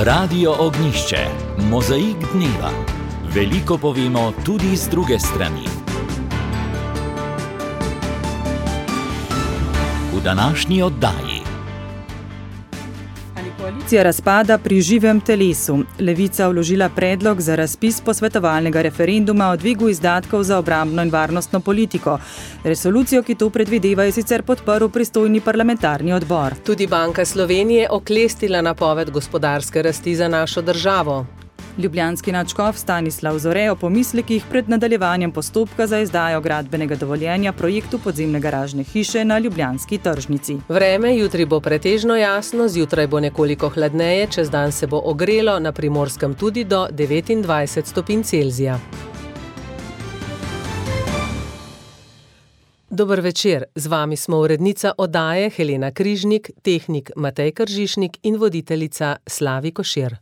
Radio Ognjišče, mozaik dneva. Veliko povemo tudi z druge strani. V današnji oddaji. Ali koalicija razpada pri živem telesu? Levica vložila predlog za razpis posvetovalnega referenduma o dvigu izdatkov za obrambno in varnostno politiko. Resolucijo, ki to predvideva, je sicer podprl pristojni parlamentarni odbor. Tudi Banka Slovenije oklestila napoved gospodarske rasti za našo državo. Ljubljanski nadškof Stanislav Zore o pomislekih pred nadaljevanjem postopka za izdajo gradbenega dovoljenja projektu podzemne garažne hiše na ljubljanski tržnici. Vreme jutri bo pretežno jasno, zjutraj bo nekoliko hladneje, čez dan se bo ogrelo, na Primorskem tudi do 29 stopinj Celzija. Dober večer, z vami smo urednica oddaje Helena Križnik, tehnik Matej Kržišnik in voditeljica Slavi Košir.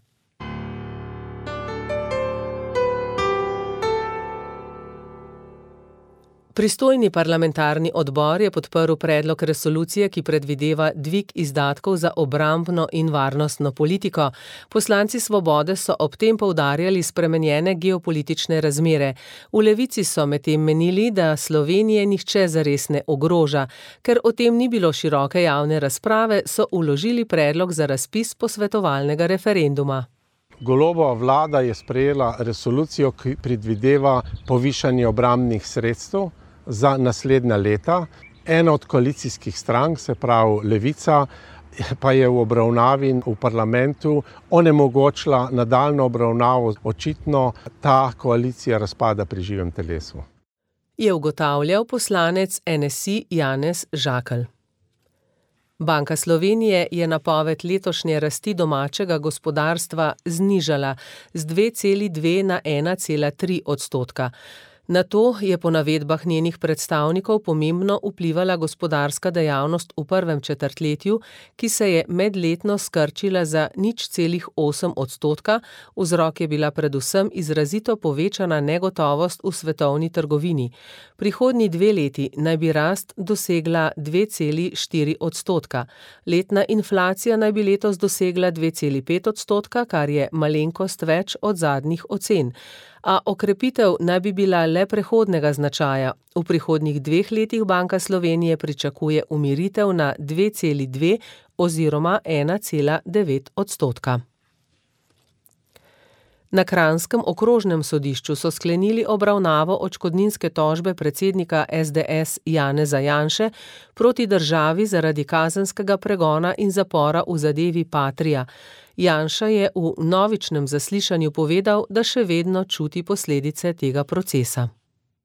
Pristojni parlamentarni odbor je podprl predlog resolucije, ki predvideva dvig izdatkov za obrambno in varnostno politiko. Poslanci Svobode so ob tem poudarjali spremenjene geopolitične razmere. V Levici so medtem menili, da Slovenije nihče zares ne ogroža. Ker o tem ni bilo široke javne razprave, so vložili predlog za razpis posvetovalnega referenduma. Golobova vlada je sprejela resolucijo, ki predvideva povišanje obrambnih sredstev za naslednja leta. Ena od koalicijskih strank, se pravi Levica, pa je v obravnavi v parlamentu onemogočila nadaljnjo obravnavo. Očitno ta koalicija razpada pri živem telesu. Je ugotavljal poslanec NSI Janez Žakelj. Banka Slovenije je napoved letošnje rasti domačega gospodarstva znižala z 2,2 na 1,3 odstotka. Na to je po navedbah njenih predstavnikov pomembno vplivala gospodarska dejavnost v prvem četrtletju, ki se je medletno skrčila za 0,8 odstotka. Vzrok je bila predvsem izrazito povečana negotovost v svetovni trgovini. Prihodnji 2 leti naj bi rast dosegla 2,4 odstotka. Letna inflacija naj bi letos dosegla 2,5 odstotka, kar je malenkost več od zadnjih ocen. A okrepitev naj bi bila le prehodnega značaja. V prihodnjih 2 letih Banka Slovenije pričakuje umiritev na 2,2 oziroma 1,9 odstotka. Na Kranjskem okrožnem sodišču so sklenili obravnavo odškodninske tožbe predsednika SDS Janeza Janše proti državi zaradi kazenskega pregona in zapora v zadevi Patria. Janša je v novičnem zaslišanju povedal, da še vedno čuti posledice tega procesa.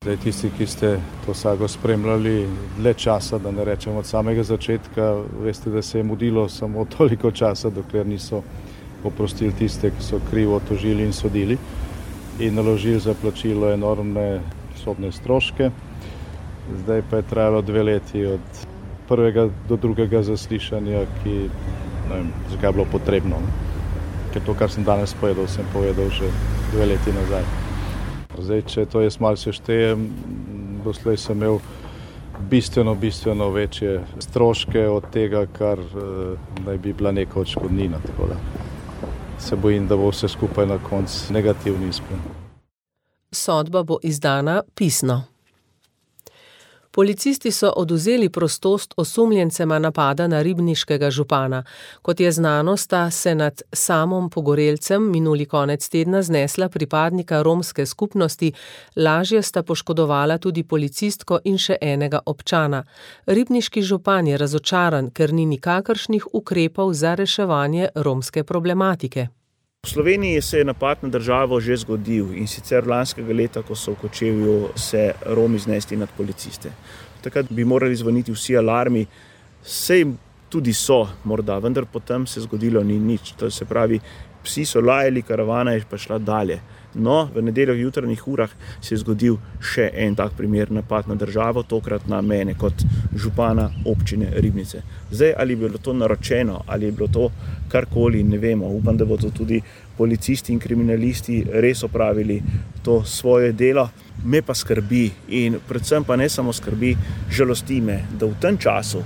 Zdaj, tisti, ki ste to sago spremljali dlje časa, da ne rečem od samega začetka, veste, da se je mudilo samo toliko časa, dokler niso oprostili tiste, ki so krivo tožili in sodili in naložili za plačilo enormne sodne stroške. Zdaj pa je trajalo 2 leti od prvega do drugega zaslišanja, ki ne vem, zakaj je bilo potrebno. Ker to, kar sem danes povedal, sem povedal že 2 leti nazaj. Zdaj, če to jaz malo seštejem, doslej sem imel bistveno večje stroške od tega, kar naj bi bila neka odškodnina. Tako da se bojim, da bo vse skupaj na koncu negativni izplen. Sodba bo izdana pisno. Policisti so odvzeli prostost osumljencema napada na ribniškega župana. Kot je znano, sta se nad Samom Pogorelcem minuli konec tedna znesla pripadnika romske skupnosti, lažje sta poškodovala tudi policistko in še enega občana. Ribniški župan je razočaran, ker ni nikakršnih ukrepov za reševanje romske problematike. V Sloveniji se je napad na državo že zgodil in sicer lanskega leta, ko so v Kočevju se Romi znesli nad policiste. Takrat bi morali zvoniti vsi alarmi, sej tudi so morda, vendar potem se zgodilo ni nič. To se pravi, psi so lajali, karavana je pa šla dalje. No, v nedeljo v jutranjih urah se je zgodil še en tak primer napad na državo, tokrat na mene kot župana občine Ribnice. Zdaj, ali je bilo to naročeno, ali je bilo to karkoli, ne vemo. Upam, da bodo tudi policisti in kriminalisti res opravili to svoje delo. Me pa skrbi in predvsem pa ne samo skrbi, žalosti me, da v tem času,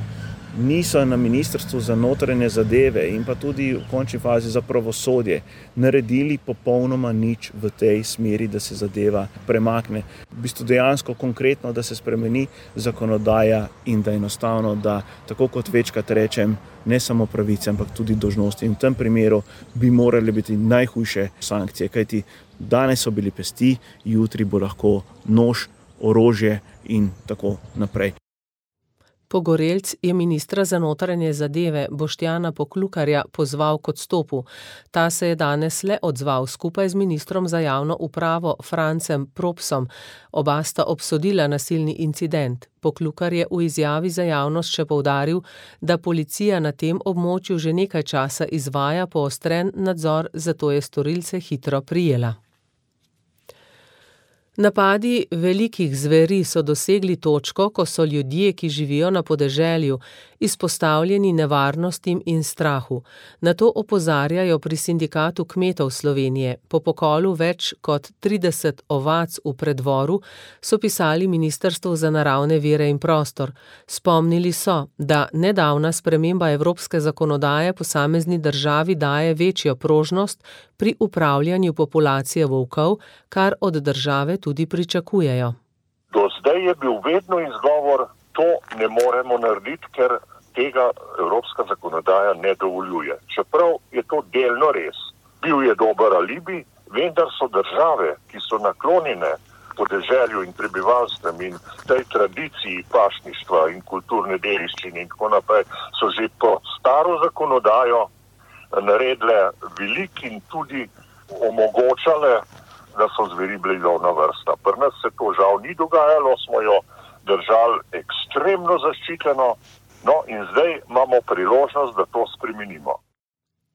niso na Ministrstvu za notranje zadeve in pa tudi v končni fazi za pravosodje naredili popolnoma nič v tej smeri, da se zadeva premakne. V bistvu dejansko konkretno, da se spremeni zakonodaja in da enostavno, da tako kot večkrat rečem, ne samo pravice, ampak tudi dolžnosti. In v tem primeru bi morali biti najhujše sankcije, kajti danes so bili pesti, jutri bo lahko nož, orožje in tako naprej. Pogorelc je ministra za notranje zadeve Boštjana Poklukarja pozval k odstopu. Ta se je danes le odzval skupaj z ministrom za javno upravo Francem Propsom. Oba sta obsodila nasilni incident. Poklukar je v izjavi za javnost še poudaril, da policija na tem območju že nekaj časa izvaja poostren nadzor, zato je storilce hitro prijela. Napadi velikih zveri so dosegli točko, ko so ljudje, ki živijo na podeželju, izpostavljeni nevarnostim in strahu. Na to opozarjajo pri Sindikatu kmetov Slovenije. Po pokolu več kot 30 ovac v Predvoru so pisali Ministrstvu za naravne vire in prostor. Spomnili so, da nedavna sprememba evropske zakonodaje posamezni državi daje večjo prožnost pri upravljanju populacije volkov, kar od države tudi pričakujejo. Do zdaj je bil vedno izgovor, to ne moremo narediti, ker tega evropska zakonodaja ne dovoljuje. Čeprav je to delno res. Bil je dober alibi, vendar so države, ki so naklonjene podeželju in prebivalstvem in tej tradiciji pašništva in kulturne dediščine in tako naprej, so že po staro zakonodajo naredile velik in tudi omogočale, da so zveri bili lovna vrsta. Pri nas se to žal ni dogajalo, smo jo držali ekstremno zaščiteno, no in zdaj imamo priložnost, da to spremenimo.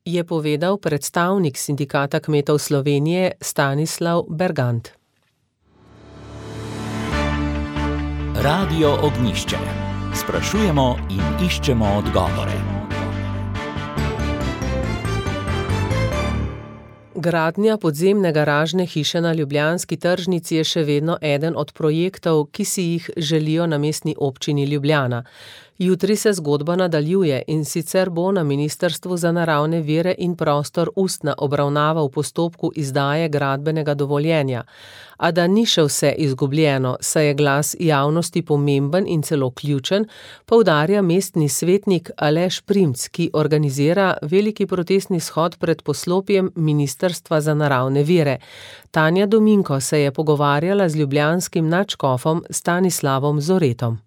Je povedal predstavnik Sindikata kmetov Slovenije Stanislav Bergant. Radio Ognjišče. Sprašujemo in iščemo odgovore. Gradnja podzemne garažne hiše na ljubljanski tržnici je še vedno eden od projektov, ki si jih želijo na mestni občini Ljubljana. Jutri se zgodba nadaljuje in sicer bo na Ministrstvu za naravne vire in prostor ustna obravnava v postopku izdaje gradbenega dovoljenja. A da ni še vse izgubljeno, saj je glas javnosti pomemben in celo ključen, poudarja mestni svetnik Aleš Primc, ki organizira veliki protestni shod pred poslopjem Ministrstva za naravne vire. Tanja Dominko se je pogovarjala z ljubljanskim nadškofom Stanislavom Zoretom.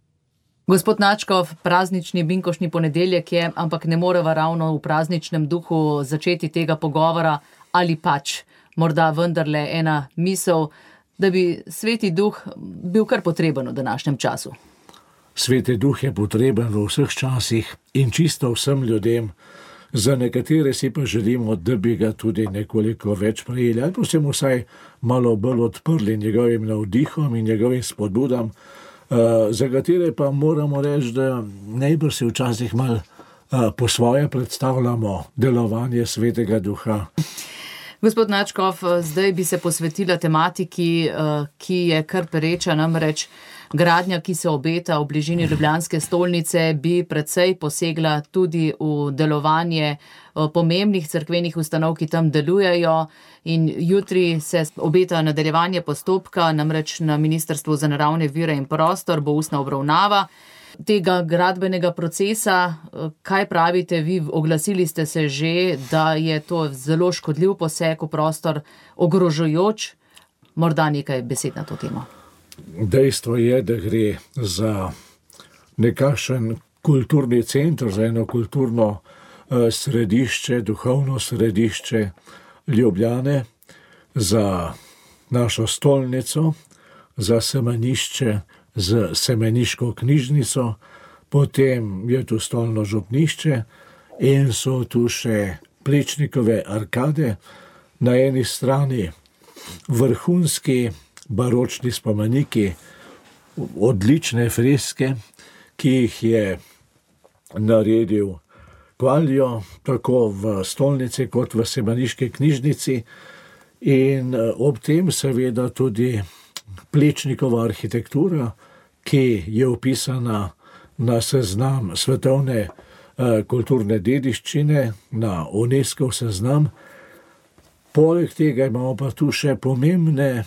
Gospod nadškof, praznični binkošni ponedeljek je, ampak ne moreva ravno v prazničnem duhu začeti tega pogovora, ali pač morda vendarle ena misel, da bi sveti duh bil kar potreben v današnjem času. Sveti duh je potreben v vseh časih in čisto vsem ljudem. Za nekatere si pa želimo, da bi ga tudi nekoliko več prejeli, ali pa se mu vsaj malo bolj odprli njegovim navdihom in njegovim spodbudam, za katere pa moramo reči, da najbrž si včasih malo po svoje predstavljamo delovanje svetega duha. Gospod nadškof, zdaj bi se posvetila tematiki, ki je kar pereča, namreč gradnja, ki se obeta v bližini ljubljanske stolnice, bi precej posegla tudi v delovanje pomembnih cerkvenih ustanov, ki tam delujejo, in jutri se obeta nadaljevanje postopka, namreč na Ministrstvu za naravne vire in prostor bo ustna obravnava tega gradbenega procesa. Kaj pravite vi? Oglasili ste se že, da je to zelo škodljiv poseg v prostor, ogrožajoč. Morda nekaj besed na to temo. Dejstvo je, da gre za nekakšen kulturni center, za eno kulturno središče, duhovno središče Ljubljane, za našo stolnico, za semenišče z semeniško knjižnico, potem je tu stolno župnišče in so tu še Plečnikove arkade, na eni strani vrhunski baročni spomeniki, odlične freske, ki jih je naredil Kvaljo, tako v stolnici kot v semeniški knjižnici, in ob tem seveda tudi Plečnikova arhitektura, ki je opisana na seznam svetovne kulturne dediščine, na UNESCO seznam. Poleg tega imamo pa tu še pomembne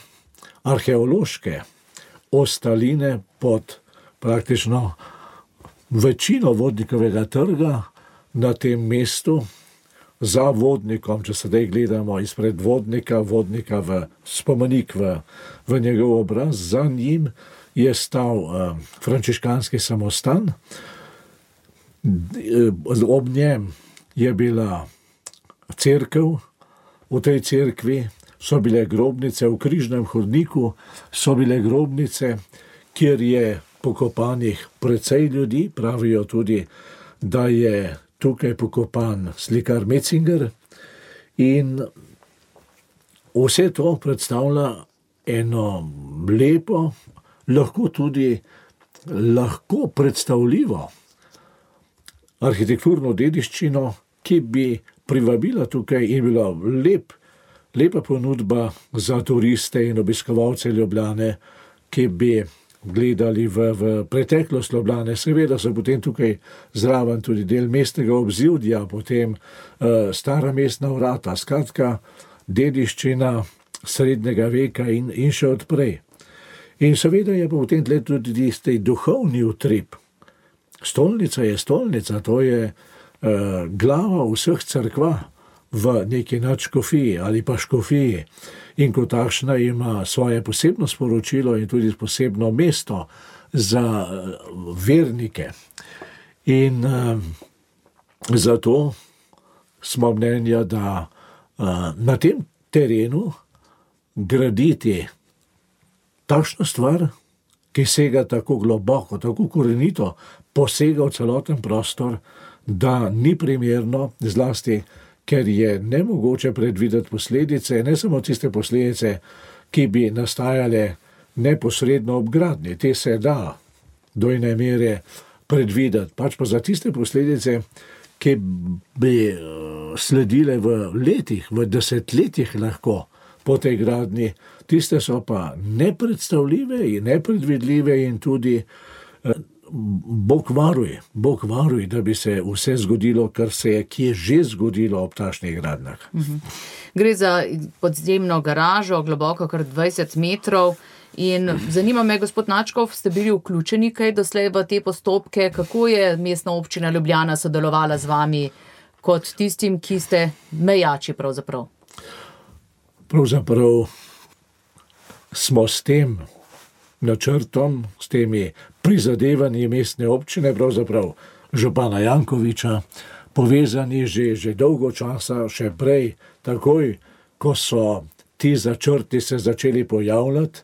arheološke ostaline pod praktično večino Vodnikovega trga na tem mestu, za Vodnikom, če sedaj gledamo izpred Vodnika v spomenik v njegov obraz, za njim je stal frančiškanski samostan, ob njem je bila cerkev, v tej cerkvi so bile grobnice, v križnem hodniku so bile grobnice, kjer je pokopanih precej ljudi, pravijo tudi, da je tukaj pokopan slikar Metzinger, in vse to predstavlja eno lepo, lahko predstavljivo arhitekturno dediščino, ki bi privabila tukaj in bila lepa ponudba za turiste in obiskovalce Ljubljane, ki bi gledali v preteklost Ljubljane. Seveda so potem tukaj zraven tudi del mestnega obzidja, potem stara mestna vrata, skratka dediščina srednjega veka in še odprej. In seveda je pa v tem tle tudi tisti duhovni utrip. Stolnica je stolnica, to je glava vseh cerkva v neki nadškofiji ali pa škofiji, in kot takšna ima svoje posebno sporočilo in tudi posebno mesto za vernike. In zato smo mnenja, da na tem terenu graditi takšno stvar, ki sega tako globoko, tako korenito, posega v celoten prostor, da ni primerno, zlasti ker je nemogoče predvideti posledice, ne samo tiste posledice, ki bi nastajale neposredno ob gradnji. Te se da do ene mere predvideti, pač pa za tiste posledice, ki bi sledile v letih, v desetletjih lahko po tej gradnji, tiste so pa nepredstavljive in nepredvidljive in tudi Bog varuj, da bi se vse zgodilo, kar se je kje že zgodilo ob takšnih gradnjah. Gre za podzemno garažo, globoko kar 20 metrov. In zanima me, gospod Načkov, ste bili vključeni kaj doslej v te postopke? Kako je Mestna občina Ljubljana sodelovala z vami kot tistim, ki ste mejači pravzaprav? Pravzaprav smo s tem načrtom, s temi prizadevanji mestne občine, pravzaprav župana Jankoviča, povezani že dolgo časa, še prej, takoj, ko so ti začrti se začeli pojavljati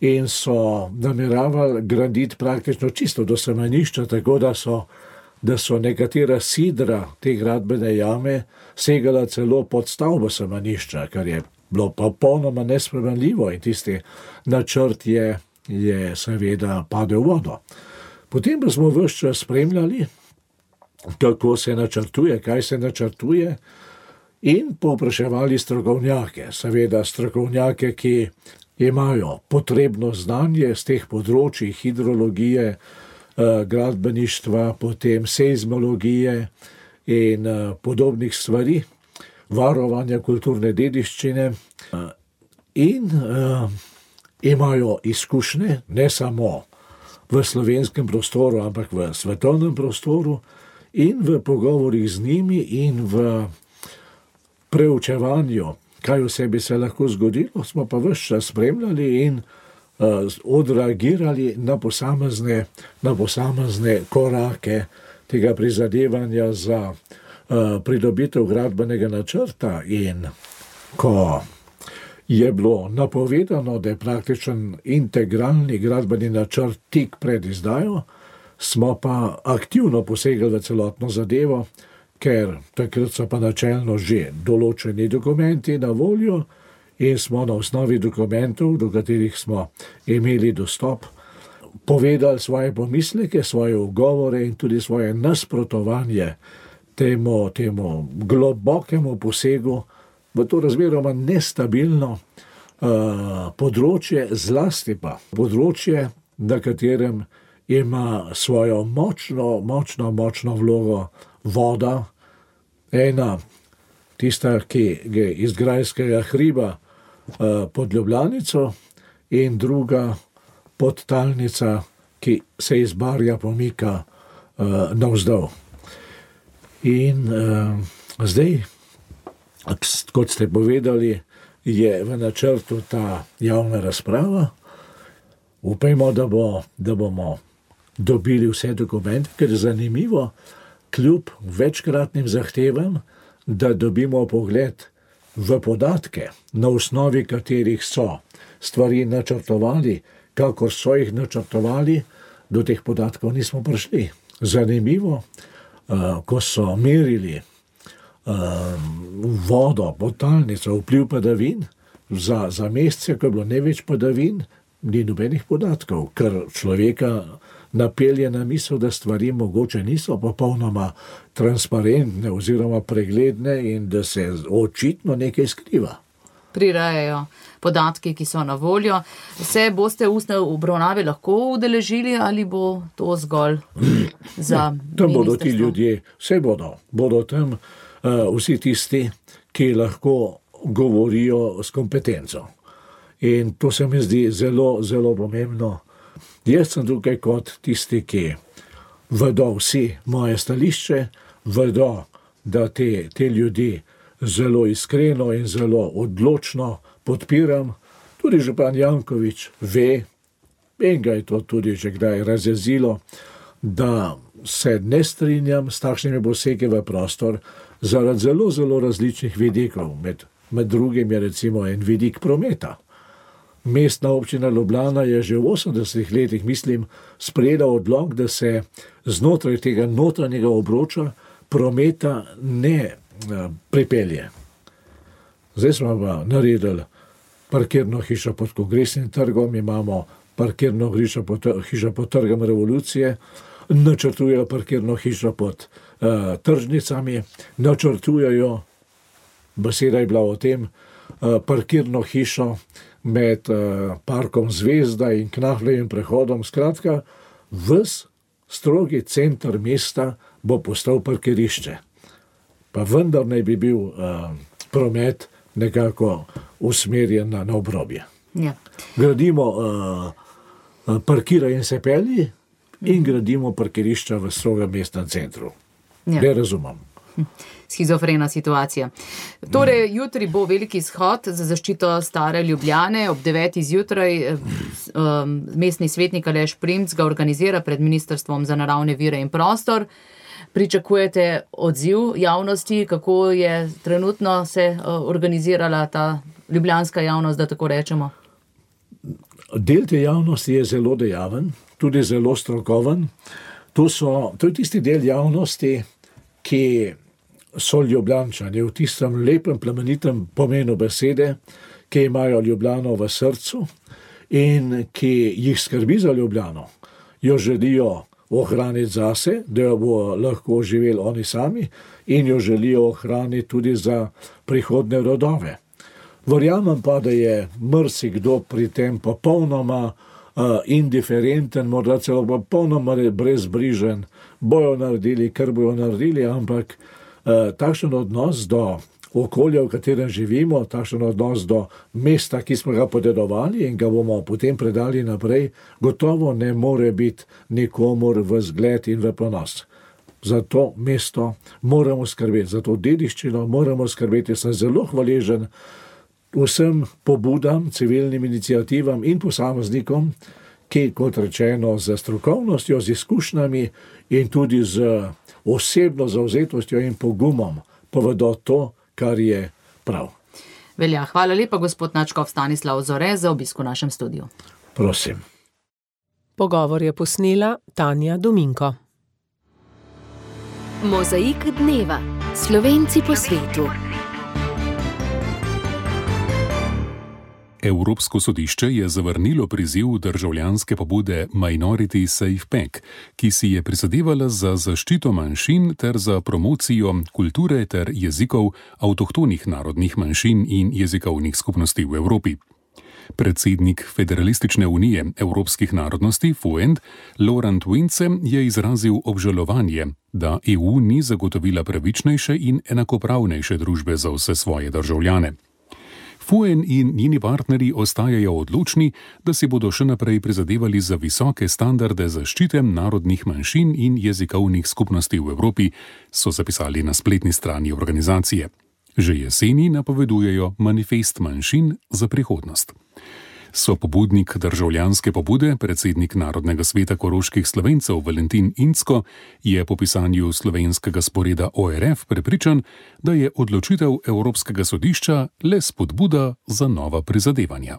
in so nameravali graditi praktično čisto do semenišča, tako da so nekatera sidra te gradbene jame segala celo pod stavbo semenišča, kar je bilo pa popolnoma nespremenljivo, in tisti načrt je seveda padel v vodo. Potem pa smo ves čas spremljali, kako se načrtuje, kaj se načrtuje, in povpraševali strokovnjake, seveda strokovnjake, ki imajo potrebno znanje z teh področij hidrologije, gradbeništva, potem seizmologije in podobnih stvari, varovanja kulturne dediščine, in imajo izkušnje ne samo v slovenskem prostoru, ampak v svetovnem prostoru, in v pogovorih z njimi in v preučevanju, kaj vse bi se lahko zgodilo, smo pa ves čas spremljali in odreagirali na posamezne korake tega prizadevanja za pridobitev gradbenega načrta. In ko je bilo napovedano, da je praktičen integralni gradbeni načrt tik pred izdajo, smo pa aktivno posegali v celotno zadevo, ker takrat so pa načelno že določeni dokumenti na voljo in smo na osnovi dokumentov, do katerih smo imeli dostop, povedali svoje pomisleke, svoje ugovore in tudi svoje nasprotovanje temu globokemu posegu v to razmeroma nestabilno področje, zlasti pa področje, na katerem ima svojo močno vlogo voda. Ena, tista, ki je iz Grajskega hriba pod Ljubljanico, in druga podtalnica, ki se iz Barja pomika navzdol. In zdaj, kot ste povedali, je v načrtu ta javna razprava. Upajmo, da bomo dobili vse dokumente, ker je zanimivo, kljub večkratnim zahtevam, da dobimo pogled v podatke, na osnovi katerih so stvari načrtovali, kakor so jih načrtovali, do teh podatkov nismo prišli. Zanimivo, ko so merili vodo, podtalnico, vpliv padavin, za mesece, ko je bilo največ padavin, ni nobenih podatkov, ker človeka napelje na misel, da stvari mogoče niso popolnoma transparentne oziroma pregledne in da se očitno nekaj skriva. Prirajajo podatki, ki so na voljo. Se boste ustne obravnave lahko udeležili ali bo to zgolj za ministrstvo? Tam bodo ti ljudje, vse bodo tam vsi tisti, ki lahko govorijo s kompetenco. In to se mi zdi zelo pomembno. Jaz sem tukaj kot tisti, ki vedo vsi moje stališče, vedo, da te ljudi zelo iskreno in zelo odločno podpiram. Tudi župan Janković ve, in ga je to tudi že kdaj razjezilo, da se ne strinjam s takšnimi posegi v prostor zaradi zelo različnih vidikov. Med drugim je recimo en vidik prometa. Mestna občina Ljubljana je že v 80 letih, mislim, sprejela odlok, da se znotraj tega notranjega obroča prometa ne pripelje. Zdaj smo pa naredili parkirno hišo pod Kongresnim trgom, imamo parkirno hišo pod Trgom Revolucije, načrtujejo parkirno hišo pod tržnicami, načrtujejo, beseda je bila o tem, parkirno hišo med parkom Zvezda in Knafljevim prehodom. Skratka, ves strogi center mesta bo postal parkirišče. Pa vendar naj bi bil promet nekako usmerjen na obrobje. Ja. Gradimo parkira in se pelji in gradimo parkirišča v strogem mestnem centru. Ja. Ne razumem. Schizofrena situacija. Torej, jutri bo veliki shod za zaščito stare Ljubljane. Ob 9. zjutraj mestni svetnik Aleš Primc ga organizira pred Ministrstvom za naravne vire in prostor. Pričakujete odziv javnosti, kako je trenutno se organizirala ta ljubljanska javnost, da tako rečemo? Del te javnosti je zelo dejaven, tudi zelo strokoven. To je tisti del javnosti, ki so Ljubljančani v tistem lepem, plemenitem pomenu besede, ki imajo Ljubljano v srcu in ki jih skrbi za Ljubljano. Jo želijo ohraniti zase, da jo bo lahko živeli oni sami, in jo želijo ohraniti tudi za prihodne rodove. Verjamem pa, da je marsikdo pri tem popolnoma indiferenten, morda celo popolnoma brezbrižen, bojo naredili, kar bojo naredili, ampak takšen odnos do okolja, v katerem živimo, takšen odnos do mesta, ki smo ga podedovali in ga bomo potem predali naprej, gotovo ne more biti nikomur v zgled in v ponos. Za to mesto moramo skrbeti, za to dediščino moramo skrbeti. Sem zelo hvaležen vsem pobudam, civilnim iniciativam in posameznikom, ki, kot rečeno, z strokovnostjo, z izkušnjami in tudi z osebno zavzetostjo in pogumom povedo to, kar je prav. Velja, hvala lepa, gospod nadškof Stanislav Zore, za obisk v našem studiu. Prosim. Pogovor je posnela Tanja Dominko. Mozaik dneva. Slovenci po svetu. Evropsko sodišče je zavrnilo priziv državljanske pobude Minority Safe Pack, ki si je prizadevala za zaščito manjšin ter za promocijo kulture ter jezikov avtohtonih narodnih manjšin in jezikovnih skupnosti v Evropi. Predsednik Federalistične unije evropskih narodnosti FUEND Laurent Vince je izrazil obžalovanje, da EU ni zagotovila pravičnejše in enakopravnejše družbe za vse svoje državljane. FUEN in njeni partnerji ostajajo odločni, da si bodo še naprej prizadevali za visoke standarde zaščite narodnih manjšin in jezikovnih skupnosti v Evropi, so zapisali na spletni strani organizacije. Že jeseni napovedujejo manifest manjšin za prihodnost. Sopobudnik državljanske pobude, predsednik Narodnega sveta koroških Slovencev Valentin Incko, je po pisanju slovenskega sporeda ORF prepričan, da je odločitev Evropskega sodišča le spodbuda za nova prizadevanja.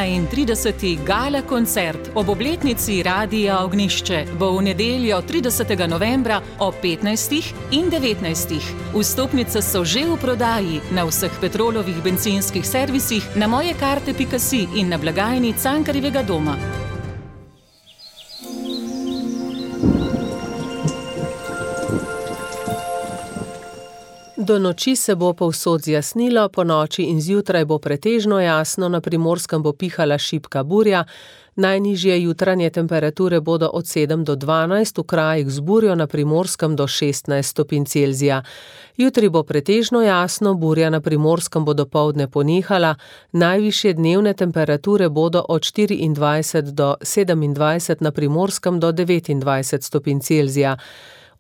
In 30. gala koncert ob obletnici Radia Ognjišče bo v nedeljo 30. novembra ob 15. in 19. Vstopnice so že v prodaji na vseh Petrolovih bencinskih servisih, na mojekarte.si in na blagajni Cankarjevega doma. Do noči se bo povsod zjasnilo, po noči in zjutraj bo pretežno jasno, na Primorskem bo pihala šibka burja, najnižje jutranje temperature bodo od 7 do 12, v krajih z burjo na Primorskem do 16 stopinj Celzija. Jutri bo pretežno jasno, burja na Primorskem bo dopoldne ponehala, najvišje dnevne temperature bodo od 24 do 27, na Primorskem do 29 stopinj Celzija.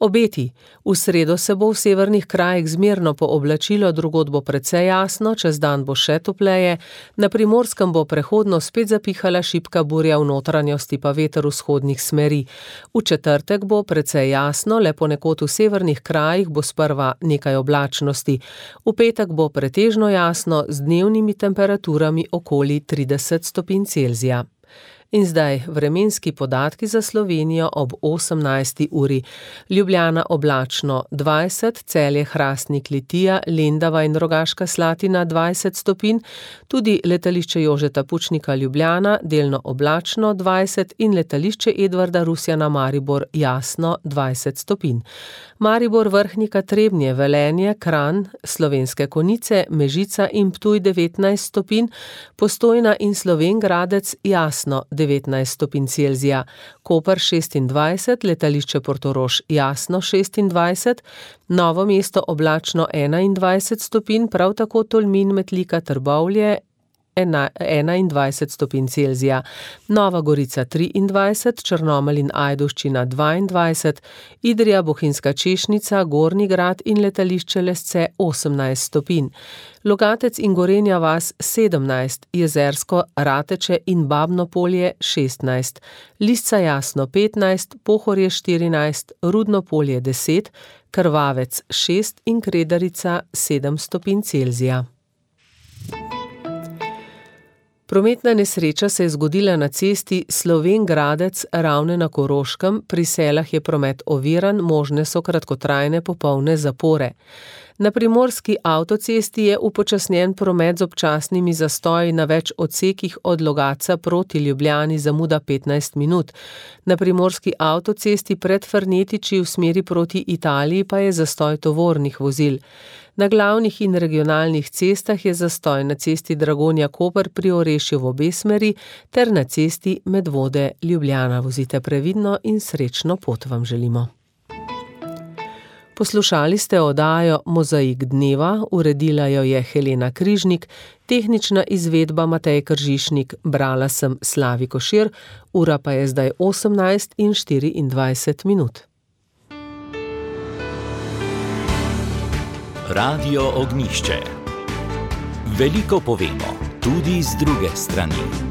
Obeti. V sredo se bo v severnih krajih zmerno pooblačilo, drugod bo precej jasno, čez dan bo še topleje, na Primorskem bo prehodno spet zapihala šibka burja, v notranjosti pa veter vzhodnih smeri. V četrtek bo precej jasno, le ponekod v severnih krajih bo sprva nekaj oblačnosti. V petek bo pretežno jasno z dnevnimi temperaturami okoli 30 stopinj Celzija. In zdaj vremenski podatki za Slovenijo ob 18. uri. Ljubljana oblačno 20, Celje, Hrastnik, Litija, Lendava in Rogaška Slatina 20 stopinj, tudi letališče Jožeta Pučnika Ljubljana delno oblačno 20 in letališče Edvarda Rusjana Maribor jasno 20 stopinj. Maribor, Vrhnika, Trebnje, Velenje, Kranj, Slovenske Konjice, Mežica in Ptuj 19 stopinj, Postojna in Slovenj Gradec jasno 19 stopinj Celzija, Koper 26, letališče Portorož jasno 26, Novo mesto oblačno 21 stopinj, prav tako Tolmin, Metlika, Trbovlje 21 stopinj Celzija, Nova Gorica 23, Črnomelj in Ajdovščina 22, Idrija, Bohinjska Češnica, Gornji Grad in letališče Lesce 18 stopinj, Logatec in Gorenja vas 17, Jezersko, Rateče in Babno Polje 16, Lisca Jasno 15, Pohorje 14, Rudno Polje 10, Krvavec 6 in Kredarica 7 stopinj Celzija. Prometna nesreča se je zgodila na cesti Slovenj Gradec, Ravne na Koroškem, pri Selah je promet oviran, možne so kratkotrajne popolne zapore. Na primorski avtocesti je upočasnjen promet z občasnimi zastoji na več odsekih od Logatca proti Ljubljani, zamuda 15 minut. Na primorski avtocesti pred Frnetiči v smeri proti Italiji pa je zastoj tovornih vozil. Na glavnih in regionalnih cestah je zastoj na cesti Dragonja-Koper pri Orešju v obe smeri ter na cesti Medvode-Ljubljana. Vozite previdno in srečno pot vam želimo. Poslušali ste oddajo Mozaik dneva, uredila jo je Helena Križnik, tehnična izvedba Matej Kržišnik, brala sem Slavi Košir, ura pa je zdaj 18:24 minut. Radio Ognjišče. Veliko povemo, tudi z druge strani.